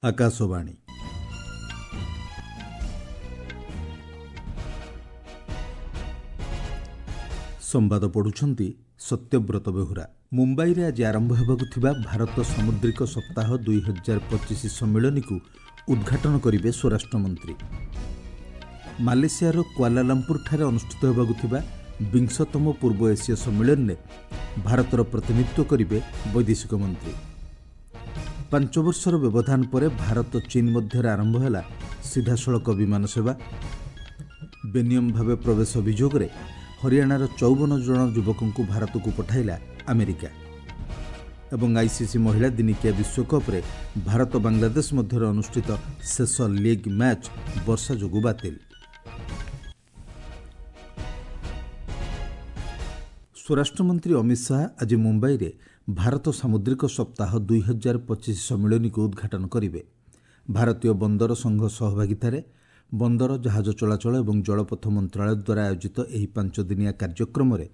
ଆକାଶବାଣୀ। ସମ୍ବାଦ ପଢ଼ୁଛନ୍ତି ସତ୍ୟବ୍ରତ ବେହୁରା। ମୁମ୍ବାଇରେ ଆଜି ଆରମ୍ଭ ହେବାକୁ ଥିବା ଭାରତ ସାମୁଦ୍ରିକ ସପ୍ତାହ 2025 ସମ୍ମିଳନୀକୁ ଉଦ୍ଘାଟନ କରିବେ ସ୍ୱରାଷ୍ଟ୍ରମନ୍ତ୍ରୀ। ମାଲେସିଆର କ୍ୱାଲାଲମ୍ପୁରଠାରେ ଅନୁଷ୍ଠିତ ହେବାକୁ ଥିବା ବିଂଶତମ ପୂର୍ବ ଏସୀୟ ସମ୍ମିଳନୀରେ ଭାରତର ପ୍ରତିନିଧିତ୍ୱ କରିବେ ବୈଦେଶିକ ମନ୍ତ୍ରୀ। 5 ବର୍ଷର ବ୍ୟବଧାନ ପରେ ଭାରତ ଚୀନ ମଧ୍ୟରେ ଆରମ୍ଭ ହେଲା ସିଧାସଳଖ ବିମାନ ସେବା। ବେନିୟମ ଭାବେ ପ୍ରବେଶ ଅଭିଯୋଗରେ ହରିୟାଣାର 54 ଜଣ ଯୁବକଙ୍କୁ ଭାରତକୁ ପଠାଇଲା ଆମେରିକା। ଏବଂ ଆଇସିସି ମହିଳା ଦିନିକିଆ ବିଶ୍ୱକପ୍ରେ ଭାରତ ବାଂଲାଦେଶ ମଧ୍ୟରେ ଅନୁଷ୍ଠିତ ଶେଷ ଲିଗ୍ ମ୍ୟାଚ୍ ବର୍ଷା ଯୋଗୁଁ ବାତିଲ। ସ୍ୱରାଷ୍ଟ୍ରମନ୍ତ୍ରୀ ଅମିତ ଶାହା ଆଜି ମୁମ୍ବାଇରେ ଭାରତ ସାମୁଦ୍ରିକ ସପ୍ତାହ 2025 ସମ୍ମିଳନୀକୁ ଉଦ୍ଘାଟନ କରିବେ। ଭାରତୀୟ ବନ୍ଦର ସଂଘ ସହଭାଗିତାରେ ବନ୍ଦର, ଜାହାଜ ଚଳାଚଳ ଏବଂ ଜଳପଥ ମନ୍ତ୍ରଣାଳୟ ଦ୍ୱାରା ଆୟୋଜିତ ଏହି 5 ଦିନିଆ କାର୍ଯ୍ୟକ୍ରମରେ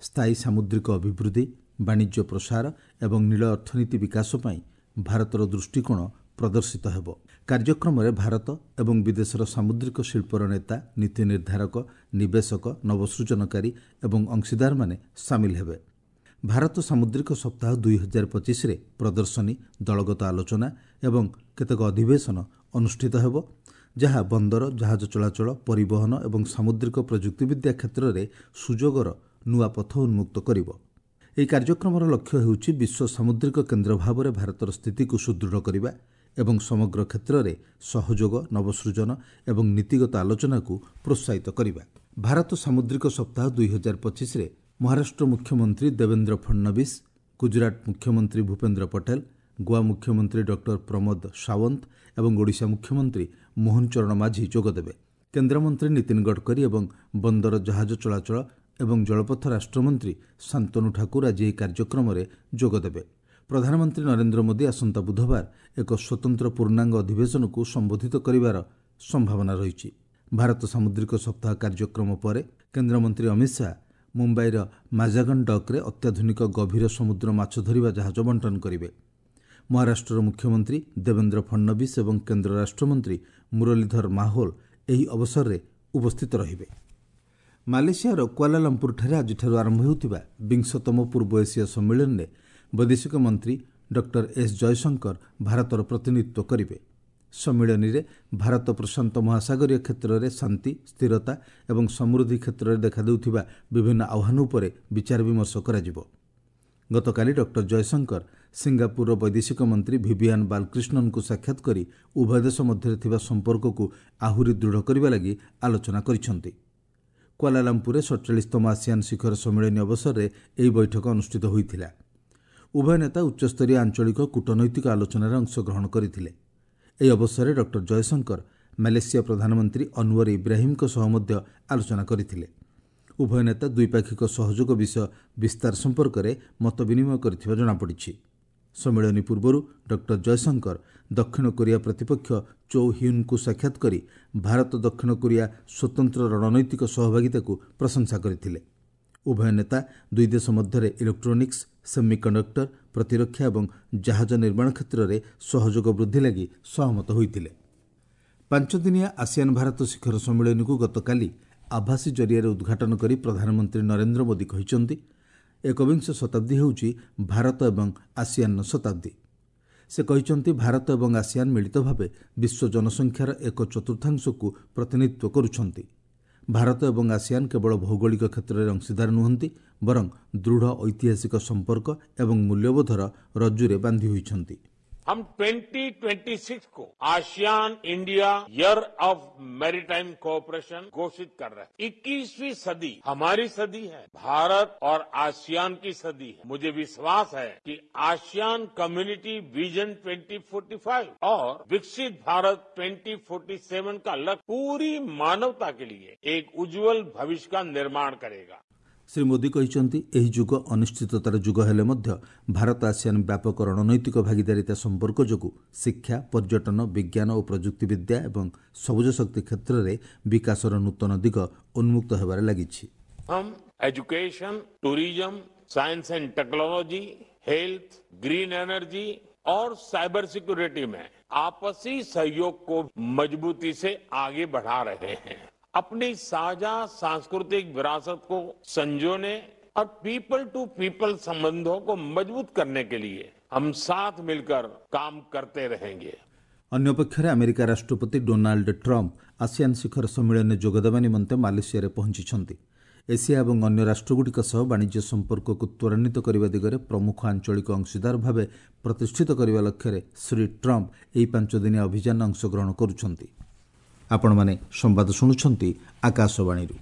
ସ୍ଥାୟୀ ସାମୁଦ୍ରିକ ଅଭିବୃଦ୍ଧି, ବାଣିଜ୍ୟ ପ୍ରସାର ଏବଂ ନୀଳ ଅର୍ଥନୀତି ବିକାଶ ପାଇଁ ଭାରତର ଦୃଷ୍ଟିକୋଣ ପ୍ରଦର୍ଶିତ ହେବ। କାର୍ଯ୍ୟକ୍ରମରେ ଭାରତ ଏବଂ ବିଦେଶର ସାମୁଦ୍ରିକ ଶିଳ୍ପର ନେତା, ନୀତି ନିର୍ଦ୍ଧାରକ, ନିବେଶକ, ନବସୃଜନକାରୀ ଏବଂ ଅଂଶୀଦାରମାନେ ସାମିଲ ହେବେ। ଭାରତ ସାମୁଦ୍ରିକ ସପ୍ତାହ 2025ରେ ପ୍ରଦର୍ଶନୀ, ଦଳଗତ ଆଲୋଚନା ଏବଂ କେତେକ ଅଧିବେଶନ ଅନୁଷ୍ଠିତ ହେବ, ଯାହା ବନ୍ଦର, ଜାହାଜ ଚଳାଚଳ, ପରିବହନ ଏବଂ ସାମୁଦ୍ରିକ ପ୍ରଯୁକ୍ତିବିଦ୍ୟା କ୍ଷେତ୍ରରେ ସୁଯୋଗର ନୂଆ ପଥ ଉନ୍ମୁକ୍ତ କରିବ। ଏହି କାର୍ଯ୍ୟକ୍ରମର ଲକ୍ଷ୍ୟ ହେଉଛି ବିଶ୍ୱ ସାମୁଦ୍ରିକ କେନ୍ଦ୍ର ଭାବରେ ଭାରତର ସ୍ଥିତିକୁ ସୁଦୃଢ଼ କରିବା ଏବଂ ସମଗ୍ର କ୍ଷେତ୍ରରେ ସହଯୋଗ, ନବସୃଜନ ଏବଂ ନୀତିଗତ ଆଲୋଚନାକୁ ପ୍ରୋତ୍ସାହିତ କରିବା। ଭାରତ ସାମୁଦ୍ରିକ ସପ୍ତାହ 2025ରେ ମହାରାଷ୍ଟ୍ର ମୁଖ୍ୟମନ୍ତ୍ରୀ ଦେବେନ୍ଦ୍ର ଫଡନବିସ୍, ଗୁଜରାଟ ମୁଖ୍ୟମନ୍ତ୍ରୀ ଭୂପେନ୍ଦ୍ର ପଟେଲ, ଗୋଆ ମୁଖ୍ୟମନ୍ତ୍ରୀ ଡକ୍ଟର ପ୍ରମୋଦ ସାୱନ୍ତ ଏବଂ ଓଡ଼ିଶା ମୁଖ୍ୟମନ୍ତ୍ରୀ ମୋହନ ଚରଣ ମାଝୀ ଯୋଗଦେବେ। କେନ୍ଦ୍ରମନ୍ତ୍ରୀ ନୀତିନ ଗଡ଼କରୀ ଏବଂ ବନ୍ଦର, ଜାହାଜ ଚଳାଚଳ ଏବଂ ଜଳପଥ ରାଷ୍ଟ୍ରମନ୍ତ୍ରୀ ଶାନ୍ତନୁ ଠାକୁର ଆଜି ଏହି କାର୍ଯ୍ୟକ୍ରମରେ ଯୋଗଦେବେ। ପ୍ରଧାନମନ୍ତ୍ରୀ ନରେନ୍ଦ୍ର ମୋଦି ଆସନ୍ତା ବୁଧବାର ଏକ ସ୍ୱତନ୍ତ୍ର ପୂର୍ଣ୍ଣାଙ୍ଗ ଅଧିବେଶନକୁ ସମ୍ବୋଧିତ କରିବାର ସମ୍ଭାବନା ରହିଛି। ଭାରତ ସାମୁଦ୍ରିକ ସପ୍ତାହ କାର୍ଯ୍ୟକ୍ରମ ପରେ କେନ୍ଦ୍ରମନ୍ତ୍ରୀ ଅମିତ ଶାହା ମୁମ୍ବାଇର ମାଜାଗନ ଡକ୍ରେ ଅତ୍ୟାଧୁନିକ ଗଭୀର ସମୁଦ୍ର ମାଛ ଧରିବା ଜାହାଜ ବଣ୍ଟନ କରିବେ। ମହାରାଷ୍ଟ୍ରର ମୁଖ୍ୟମନ୍ତ୍ରୀ ଦେବେନ୍ଦ୍ର ଫଡନବିସ୍ ଏବଂ କେନ୍ଦ୍ର ରାଷ୍ଟ୍ରମନ୍ତ୍ରୀ ମୁରଲୀଧର ମାହୋଲ ଏହି ଅବସରରେ ଉପସ୍ଥିତ ରହିବେ। ମାଲେସିଆର କ୍ୱାଲାଲମ୍ପୁରଠାରେ ଆଜିଠାରୁ ଆରମ୍ଭ ହେଉଥିବା ବିଂଶତମ ପୂର୍ବ ଏସୀୟ ସମ୍ମିଳନୀରେ ବୈଦେଶିକ ମନ୍ତ୍ରୀ ଡକ୍ଟର ଏସ୍ ଜୟଶଙ୍କର ଭାରତର ପ୍ରତିନିଧିତ୍ୱ କରିବେ। ସମ୍ମିଳନୀରେ ଭାରତ ପ୍ରଶାନ୍ତ ମହାସାଗରୀୟ କ୍ଷେତ୍ରରେ ଶାନ୍ତି, ସ୍ଥିରତା ଏବଂ ସମୃଦ୍ଧି କ୍ଷେତ୍ରରେ ଦେଖାଦେଉଥିବା ବିଭିନ୍ନ ଆହ୍ୱାନ ଉପରେ ବିଚାର ବିମର୍ଶ କରାଯିବ। ଗତକାଲି ଡକ୍ଟର ଜୟଶଙ୍କର ସିଙ୍ଗାପୁରର ବୈଦେଶିକ ମନ୍ତ୍ରୀ ଭିଭିଆନ୍ ବାଲକ୍ରିଷ୍ଣନଙ୍କୁ ସାକ୍ଷାତ କରି ଉଭୟ ଦେଶ ମଧ୍ୟରେ ଥିବା ସମ୍ପର୍କକୁ ଆହୁରି ଦୃଢ଼ କରିବା ଲାଗି ଆଲୋଚନା କରିଛନ୍ତି। କ୍ୱାଲାଲମ୍ପୁରରେ 47ତମ ଆସିଆନ୍ ଶିଖର ସମ୍ମିଳନୀ ଅବସରରେ ଏହି ବୈଠକ ଅନୁଷ୍ଠିତ ହୋଇଥିଲା। ଉଭୟ ନେତା ଉଚ୍ଚସ୍ତରୀୟ ଆଞ୍ଚଳିକ କୂଟନୈତିକ ଆଲୋଚନାରେ ଅଂଶଗ୍ରହଣ କରିଥିଲେ। ଏହି ଅବସରରେ ଡକ୍ଟର ଜୟଶଙ୍କର ମାଲେସିଆ ପ୍ରଧାନମନ୍ତ୍ରୀ ଅନୱର ଇବ୍ରାହିମଙ୍କ ସହ ମଧ୍ୟ ଆଲୋଚନା କରିଥିଲେ। ଉଭୟ ନେତା ଦ୍ୱିପାକ୍ଷିକ ସହଯୋଗ ବିଷୟ ବିସ୍ତାର ସମ୍ପର୍କରେ ମତ ବିନିମୟ କରିଥିବା ଜଣାପଡ଼ିଛି। ସମ୍ମିଳନୀ ପୂର୍ବରୁ ଡକ୍ଟର ଜୟଶଙ୍କର ଦକ୍ଷିଣ କୋରିଆ ପ୍ରତିପକ୍ଷ ଚୋ ହ୍ୟୁନ୍ଙ୍କୁ ସାକ୍ଷାତ କରି ଭାରତ ଦକ୍ଷିଣ କୋରିଆ ସ୍ୱତନ୍ତ୍ର ରଣନୈତିକ ସହଭାଗିତାକୁ ପ୍ରଶଂସା କରିଥିଲେ। ଉଭୟ ନେତା ଦୁଇ ଦେଶ ମଧ୍ୟରେ ଇଲେକ୍ଟ୍ରୋନିକ୍ସ, ସେମିକଣ୍ଡକ୍ଟର, ପ୍ରତିରକ୍ଷା ଏବଂ ଜାହାଜ ନିର୍ମାଣ କ୍ଷେତ୍ରରେ ସହଯୋଗ ବୃଦ୍ଧି ଲାଗି ସହମତ ହୋଇଥିଲେ। 5 ଦିନିଆ ଆସିଆନ୍ ଭାରତ ଶିଖର ସମ୍ମିଳନୀକୁ ଗତକାଲି ଆଭାସୀ ଜରିଆରେ ଉଦ୍ଘାଟନ କରି ପ୍ରଧାନମନ୍ତ୍ରୀ ନରେନ୍ଦ୍ର ମୋଦି କହିଛନ୍ତି, ଏକବିଂଶ ଶତାବ୍ଦୀ ହେଉଛି ଭାରତ ଏବଂ ଆସିଆନ୍ର ଶତାବ୍ଦୀ। ସେ କହିଛନ୍ତି, ଭାରତ ଏବଂ ଆସିଆନ୍ ମିଳିତ ଭାବେ ବିଶ୍ୱ ଜନସଂଖ୍ୟାର 1/4କୁ ପ୍ରତିନିଧିତ୍ୱ କରୁଛନ୍ତି। ଭାରତ ଏବଂ ଆସିଆନ୍ କେବଳ ଭୌଗୋଳିକ କ୍ଷେତ୍ରରେ ଅଂଶୀଦାର ନୁହନ୍ତି, ବରଂ ଦୃଢ଼ ଐତିହାସିକ ସମ୍ପର୍କ ଏବଂ ମୂଲ୍ୟବୋଧର ରଜ୍ଜୁରେ ବାନ୍ଧି ହୋଇଛନ୍ତି। हम 2026 को ASEAN India year of maritime cooperation घोषित कर रहे हैं। 21वीं सदी हमारी सदी है, भारत और आसियान की सदी है। मुझे विश्वास है कि आसियान कम्युनिटी विजन 2045 और विकसित भारत 2047 का लक्ष्य पूरी मानवता के लिए एक उज्जवल भविष्य का निर्माण करेगा। ଶ୍ରୀ ମୋଦି କହିଛନ୍ତି, ଏହି ଯୁଗ ଅନିଶ୍ଚିତତାର ଯୁଗ ହେଲେ ମଧ୍ୟ ଭାରତ ଆସିଆନ୍ ବ୍ୟାପକ ରଣନୈତିକ ଭାଗିଦାରିତା ସମ୍ପର୍କ ଯୋଗୁଁ ଶିକ୍ଷା, ପର୍ଯ୍ୟଟନ, ବିଜ୍ଞାନ ଓ ପ୍ରଯୁକ୍ତିବିଦ୍ୟା ଏବଂ ସବୁଜ ଶକ୍ତି କ୍ଷେତ୍ରରେ ବିକାଶର ନୂତନ ଦିଗ ଉନ୍ମୁକ୍ତ ହେବାରେ ଲାଗିଛି। हम education, tourism, science and technology, health, green energy, और साइबर सिक्योरिटी में आपसी सहयोग को मजबूती से आगे बढ़ा रहे हैं। अपनी साझा सांस्कृतिक विरासत को संजोने और पीपल टू पीपल संबंधों को मजबूत करने के लिए हम साथ मिलकर काम करते रहेंगे। ଅନ୍ୟପକ୍ଷରେ ଆମେରିକା ରାଷ୍ଟ୍ରପତି ଡୋନାଲ୍ଡ ଟ୍ରମ୍ପ ଆସିଆନ୍ ଶିଖର ସମ୍ମିଳନୀରେ ଯୋଗଦେବା ନିମନ୍ତେ ମାଲେସିଆରେ ପହଞ୍ଚିଛନ୍ତି। ଏସିଆ ଏବଂ ଅନ୍ୟ ରାଷ୍ଟ୍ରଗୁଡ଼ିକ ସହ ବାଣିଜ୍ୟ ସମ୍ପର୍କକୁ ତ୍ୱରାନ୍ୱିତ କରିବା ଦିଗରେ ପ୍ରମୁଖ ଆଞ୍ଚଳିକ ଅଂଶୀଦାର ଭାବେ ପ୍ରତିଷ୍ଠିତ କରିବା ଲକ୍ଷ୍ୟରେ ଶ୍ରୀ ଟ୍ରମ୍ପ ଏହି 5 ଦିନିଆ ଅଭିଯାନରେ ଅଂଶଗ୍ରହଣ କରୁଛନ୍ତି। ଆପଣମାନେ ସମ୍ବାଦ ଶୁଣୁଛନ୍ତି ଆକାଶବାଣୀରୁ।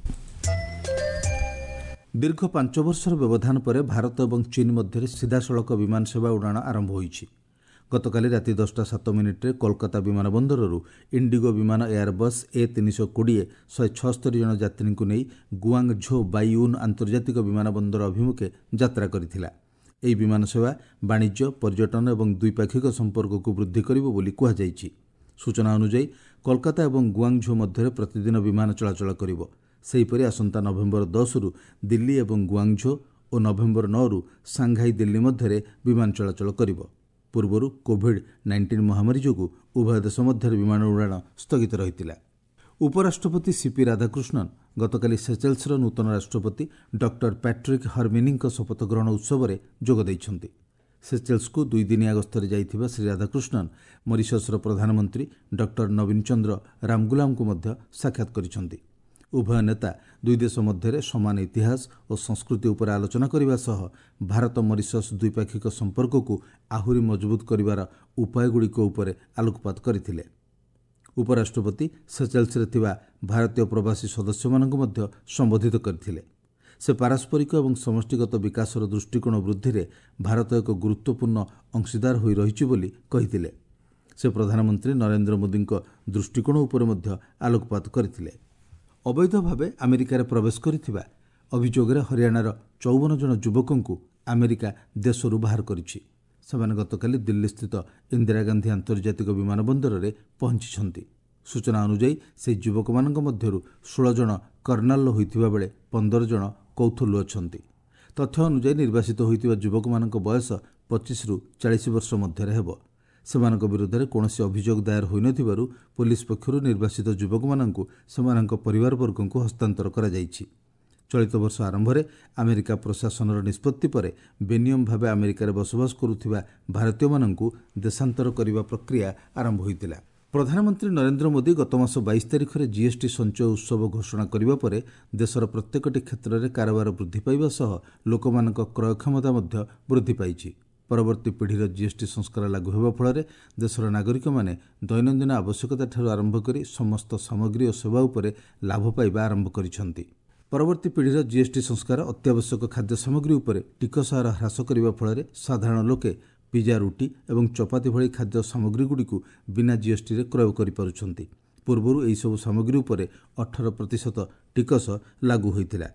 ଦୀର୍ଘ 5 ବର୍ଷର ବ୍ୟବଧାନ ପରେ ଭାରତ ଏବଂ ଚୀନ୍ ମଧ୍ୟରେ ସିଧାସଳଖ ବିମାନ ସେବା ଉଡ଼ାଣ ଆରମ୍ଭ ହୋଇଛି। ଗତକାଲି ରାତି 10ଟା 7 ମିନିଟ୍ରେ କୋଲକାତା ବିମାନ ବନ୍ଦରରୁ ଇଣ୍ଡିଗୋ ବିମାନ ଏୟାରବସ୍ ଏ 320 176 ଜଣ ଯାତ୍ରୀଙ୍କୁ ନେଇ ଗୁଆଙ୍ଗ ଝୋ ବାଇୟୁନ୍ ଆନ୍ତର୍ଜାତିକ ବିମାନ ବନ୍ଦର ଅଭିମୁଖେ ଯାତ୍ରା କରିଥିଲା। ଏହି ବିମାନ ସେବା ବାଣିଜ୍ୟ, ପର୍ଯ୍ୟଟନ ଏବଂ ଦ୍ୱିପାକ୍ଷିକ ସମ୍ପର୍କକୁ ବୃଦ୍ଧି କରିବ ବୋଲି କୁହାଯାଇଛି। ସୂଚନା ଅନୁଯାୟୀ, କୋଲକାତା ଏବଂ ଗୁଆଙ୍ଗଝୋ ମଧ୍ୟରେ ପ୍ରତିଦିନ ବିମାନ ଚଳାଚଳ କରିବ। ସେହିପରି ଆସନ୍ତା ନଭେମ୍ବର 10ରୁ ଦିଲ୍ଲୀ ଏବଂ ଗୁଆଙ୍ଗଝୋ ଓ ନଭେମ୍ବର 9ରୁ ସାଂଘାଇ ଦିଲ୍ଲୀ ମଧ୍ୟରେ ବିମାନ ଚଳାଚଳ କରିବ। ପୂର୍ବରୁ କୋଭିଡ୍-19 ମହାମାରୀ ଯୋଗୁଁ ଉଭୟ ଦେଶ ମଧ୍ୟରେ ବିମାନ ଉଡ଼ାଣ ସ୍ଥଗିତ ରହିଥିଲା। ଉପରାଷ୍ଟ୍ରପତି ସିପି ରାଧାକୃଷ୍ଣନ୍ ଗତକାଲି ସେଚେଲ୍ସର ନୂତନ ରାଷ୍ଟ୍ରପତି ଡକ୍ଟର ପ୍ୟାଟ୍ରିକ୍ ହର୍ମିନିଙ୍କ ଶପଥ ଗ୍ରହଣ ଉତ୍ସବରେ ଯୋଗ ଦେଇଛନ୍ତି। ସେଚେଲ୍ସକୁ 2 ଦିନିଆ ଗସ୍ତରେ ଯାଇଥିବା ଶ୍ରୀ ରାଧାକୃଷ୍ଣନ୍ ମରିସସ୍ର ପ୍ରଧାନମନ୍ତ୍ରୀ ଡକ୍ଟର ନବୀନ ଚନ୍ଦ୍ର ରାମଗୁଲାମଙ୍କୁ ମଧ୍ୟ ସାକ୍ଷାତ କରିଛନ୍ତି। ଉଭୟ ନେତା ଦୁଇ ଦେଶ ମଧ୍ୟରେ ସମାନ ଇତିହାସ ଓ ସଂସ୍କୃତି ଉପରେ ଆଲୋଚନା କରିବା ସହ ଭାରତ ମରିସସ୍ ଦ୍ୱିପାକ୍ଷିକ ସମ୍ପର୍କକୁ ଆହୁରି ମଜବୁତ କରିବାର ଉପାୟଗୁଡ଼ିକ ଉପରେ ଆଲୋକପାତ କରିଥିଲେ। ଉପରାଷ୍ଟ୍ରପତି ସେଚେଲ୍ସରେ ଥିବା ଭାରତୀୟ ପ୍ରବାସୀ ସଦସ୍ୟମାନଙ୍କୁ ମଧ୍ୟ ସମ୍ବୋଧିତ କରିଥିଲେ। ସେ ପାରସ୍ପରିକ ଏବଂ ସମଷ୍ଟିଗତ ବିକାଶର ଦୃଷ୍ଟିକୋଣ ବୃଦ୍ଧିରେ ଭାରତ ଏକ ଗୁରୁତ୍ୱପୂର୍ଣ୍ଣ ଅଂଶୀଦାର ହୋଇ ରହିଛି ବୋଲି କହିଥିଲେ। ସେ ପ୍ରଧାନମନ୍ତ୍ରୀ ନରେନ୍ଦ୍ର ମୋଦିଙ୍କ ଦୃଷ୍ଟିକୋଣ ଉପରେ ମଧ୍ୟ ଆଲୋକପାତ କରିଥିଲେ। ଅବୈଧ ଭାବେ ଆମେରିକାରେ ପ୍ରବେଶ କରିଥିବା ଅଭିଯୋଗରେ ହରିୟାଣାର 54 ଜଣ ଯୁବକଙ୍କୁ ଆମେରିକା ଦେଶରୁ ବାହାର କରିଛି। ସେମାନେ ଗତକାଲି ଦିଲ୍ଲୀସ୍ଥିତ ଇନ୍ଦିରା ଗାନ୍ଧୀ ଆନ୍ତର୍ଜାତିକ ବିମାନ ବନ୍ଦରରେ ପହଞ୍ଚିଛନ୍ତି। ସୂଚନା ଅନୁଯାୟୀ, ସେହି ଯୁବକମାନଙ୍କ ମଧ୍ୟରୁ 16 ଜଣ କର୍ଣ୍ଣାଲର ହୋଇଥିବା ବେଳେ 15 ଜଣ କୌଥଲରୁ ଅଛନ୍ତି। ତଥ୍ୟ ଅନୁଯାୟୀ, ନିର୍ବାସିତ ହୋଇଥିବା ଯୁବକମାନଙ୍କ ବୟସ 25ରୁ 40 ବର୍ଷ ମଧ୍ୟରେ ହେବ। ସେମାନଙ୍କ ବିରୋଧରେ କୌଣସି ଅଭିଯୋଗ ଦାୟର ହୋଇନଥିବାରୁ ପୋଲିସ ପକ୍ଷରୁ ନିର୍ବାସିତ ଯୁବକମାନଙ୍କୁ ସେମାନଙ୍କ ପରିବାରବର୍ଗଙ୍କୁ ହସ୍ତାନ୍ତର କରାଯାଇଛି। ଚଳିତ ବର୍ଷ ଆରମ୍ଭରେ ଆମେରିକା ପ୍ରଶାସନର ନିଷ୍ପତ୍ତି ପରେ ବେନିୟମ ଭାବେ ଆମେରିକାରେ ବସବାସ କରୁଥିବା ଭାରତୀୟମାନଙ୍କୁ ଦେଶାନ୍ତର କରିବା ପ୍ରକ୍ରିୟା ଆରମ୍ଭ ହୋଇଥିଲା। ପ୍ରଧାନମନ୍ତ୍ରୀ ନରେନ୍ଦ୍ର ମୋଦି ଗତମାସ 22 ତାରିଖରେ ଜିଏସ୍ଟି ସଞ୍ଚୟ ଉତ୍ସବ ଘୋଷଣା କରିବା ପରେ ଦେଶର ପ୍ରତ୍ୟେକଟି କ୍ଷେତ୍ରରେ କାରବାର ବୃଦ୍ଧି ପାଇବା ସହ ଲୋକମାନଙ୍କ କ୍ରୟ କ୍ଷମତା ମଧ୍ୟ ବୃଦ୍ଧି ପାଇଛି। ପରବର୍ତ୍ତୀ ପିଢ଼ିର ଜିଏସ୍ଟି ସଂସ୍କାର ଲାଗୁ ହେବା ଫଳରେ ଦେଶର ନାଗରିକମାନେ ଦୈନନ୍ଦିନ ଆବଶ୍ୟକତାଠାରୁ ଆରମ୍ଭ କରି ସମସ୍ତ ସାମଗ୍ରୀ ଓ ସେବା ଉପରେ ଲାଭ ପାଇବା ଆରମ୍ଭ କରିଛନ୍ତି। ପରବର୍ତ୍ତୀ ପିଢ଼ିର ଜିଏସ୍ଟି ସଂସ୍କାର ଅତ୍ୟାବଶ୍ୟକ ଖାଦ୍ୟ ସାମଗ୍ରୀ ଉପରେ ଟିକସ ହାର ହ୍ରାସ କରିବା ଫଳରେ ସାଧାରଣ ଲୋକେ ପିଜା, ରୁଟି ଏବଂ ଚପାତି ଭଳି ଖାଦ୍ୟ ସାମଗ୍ରୀଗୁଡ଼ିକୁ ବିନା ଜିଏସ୍ଟିରେ କ୍ରୟ କରିପାରୁଛନ୍ତି। ପୂର୍ବରୁ ଏହିସବୁ ସାମଗ୍ରୀ ଉପରେ 18% ଟିକସ ଲାଗୁ ହୋଇଥିଲା।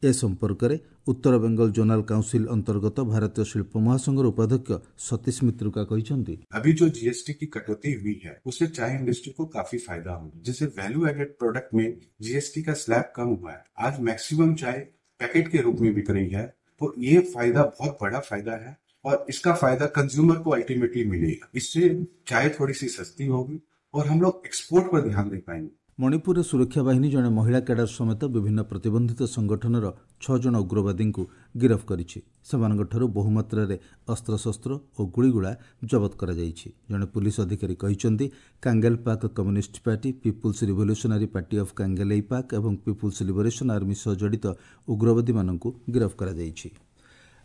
ଏ ସମ୍ପର୍କରେ ଉତ୍ତର ବେଙ୍ଗଲ ଜୋନାଲ କାଉନସିଲ୍ ଅନ୍ତର୍ଗତ ଭାରତୀୟ ଶିଳ୍ପ ମହାସଂଘର ଉପାଧ୍ୟକ୍ଷ ସତୀଶ ମିତ୍ରୁକା କହିଛନ୍ତି, अभी जो जीएसटी की कटौती हुई है, उससे चाय इंडस्ट्री को काफी फायदा होगा। जैसे वैल्यू एडेड प्रोडक्ट में जीएसटी का स्लैब कम हुआ है, आज मैक्सिमम चाय पैकेट के रूप में बिक रही है, तो ये फायदा बहुत बड़ा फायदा है और इसका फायदा कंज्यूमर को अल्टीमेटली मिलेगा। इससे चाय थोड़ी सी सस्ती होगी और हम लोग एक्सपोर्ट पर ध्यान दे पाएंगे। ମଣିପୁରରେ ସୁରକ୍ଷା ବାହିନୀ ଜଣେ ମହିଳା କ୍ୟାଡର ସମେତ ବିଭିନ୍ନ ପ୍ରତିବନ୍ଧିତ ସଂଗଠନର ଛଅ ଜଣ ଉଗ୍ରବାଦୀଙ୍କୁ ଗିରଫ କରିଛି। ସେମାନଙ୍କଠାରୁ ବହୁମାତ୍ରାରେ ଅସ୍ତ୍ରଶସ୍ତ୍ର ଓ ଗୁଳିଗୋଳା ଜବତ କରାଯାଇଛି। ଜଣେ ପୁଲିସ ଅଧିକାରୀ କହିଛନ୍ତି, କାଙ୍ଗେଲପାକ୍ communist party, people's revolutionary party of କାଙ୍ଗେଲେଇପାକ୍ ଏବଂ ପିପୁଲ୍ସ ଲିବରେସନ୍ ଆର୍ମି ସହ ଜଡ଼ିତ ଉଗ୍ରବାଦୀମାନଙ୍କୁ ଗିରଫ କରାଯାଇଛି।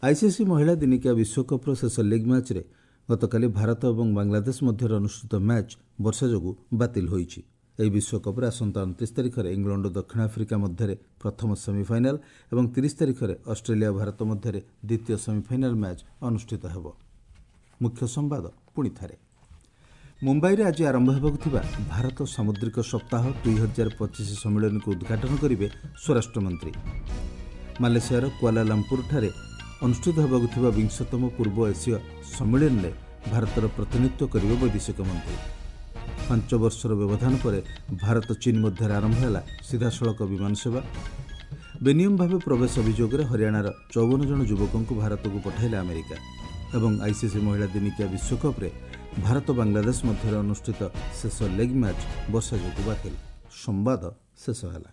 ଆଇସିସି ମହିଳା ଦିନିକିଆ ବିଶ୍ୱକପ୍ର ଶେଷ ଲିଗ୍ ମ୍ୟାଚ୍ରେ ଗତକାଲି ଭାରତ ଏବଂ ବାଂଲାଦେଶ ମଧ୍ୟରେ ଅନୁଷ୍ଠିତ ମ୍ୟାଚ୍ ବର୍ଷା ଯୋଗୁଁ ବାତିଲ ହୋଇଛି। ଏହି ବିଶ୍ୱକପ୍ରେ ଆସନ୍ତା 29 ତାରିଖରେ ଇଂଲଣ୍ଡ ଓ ଦକ୍ଷିଣ ଆଫ୍ରିକା ମଧ୍ୟରେ ପ୍ରଥମ ସେମିଫାଇନାଲ୍ ଏବଂ 30 ତାରିଖରେ ଅଷ୍ଟ୍ରେଲିଆ ଓ ଭାରତ ମଧ୍ୟରେ ଦ୍ୱିତୀୟ ସେମିଫାଇନାଲ୍ ମ୍ୟାଚ୍ ଅନୁଷ୍ଠିତ ହେବ। ମୁଖ୍ୟ ସମ୍ବାଦ ପୁଣି ଥରେ। ମୁମ୍ବାଇରେ ଆଜି ଆରମ୍ଭ ହେବାକୁ ଥିବା ଭାରତ ସାମୁଦ୍ରିକ ସପ୍ତାହ 2025 ସମ୍ମିଳନୀକୁ ଉଦ୍ଘାଟନ କରିବେ ସ୍ୱରାଷ୍ଟ୍ରମନ୍ତ୍ରୀ। ମାଲେସିଆର କୁଆଲାଲମ୍ପୁରଠାରେ ଅନୁଷ୍ଠିତ ହେବାକୁ ଥିବା ବିଂଶତମ ପୂର୍ବ ଏସୀୟ ସମ୍ମିଳନୀରେ ଭାରତର ପ୍ରତିନିଧିତ୍ୱ କରିବେ ବୈଦେଶିକ ମନ୍ତ୍ରୀ। 5 ବର୍ଷର ବ୍ୟବଧାନ ପରେ ଭାରତ ଚୀନ୍ ମଧ୍ୟରେ ଆରମ୍ଭ ହେଲା ସିଧାସଳଖ ବିମାନ ସେବା। ବେନିୟମ ଭାବେ ପ୍ରବେଶ ଅଭିଯୋଗରେ ହରିୟାଣାର 54 ଜଣ ଯୁବକଙ୍କୁ ଭାରତକୁ ପଠାଇଲା ଆମେରିକା। ଏବଂ ଆଇସିସି ମହିଳା ଦିନିକିଆ ବିଶ୍ୱକପ୍ରେ ଭାରତ ବାଂଲାଦେଶ ମଧ୍ୟରେ ଅନୁଷ୍ଠିତ ଶେଷ ଲେଗ୍ ମ୍ୟାଚ୍ ବର୍ଷା ଯୋଗୁଁ ବାତିଲ। ସମ୍ବାଦ ଶେଷ ହେଲା।